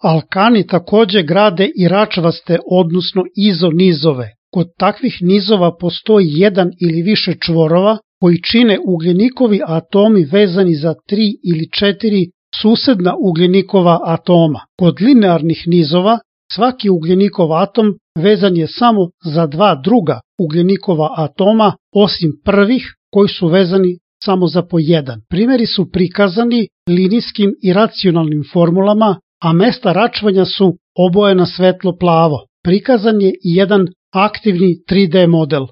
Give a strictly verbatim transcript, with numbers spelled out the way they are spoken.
Alkani takođe grade i račvaste, odnosno izonizove. Kod takvih nizova postoji jedan ili više čvorova koji čine ugljenikovi atomi vezani za tri ili četiri susedna ugljenikova atoma. Kod linearnih nizova svaki ugljenikov atom vezan je samo za dva druga ugljenikova atoma, osim prvih koji su vezani samo za po jedan. Primeri su prikazani linijskim i racionalnim formulama, a mesta račvanja su obojena svetlo plavo. Prikazan je i jedan aktivni tri D model.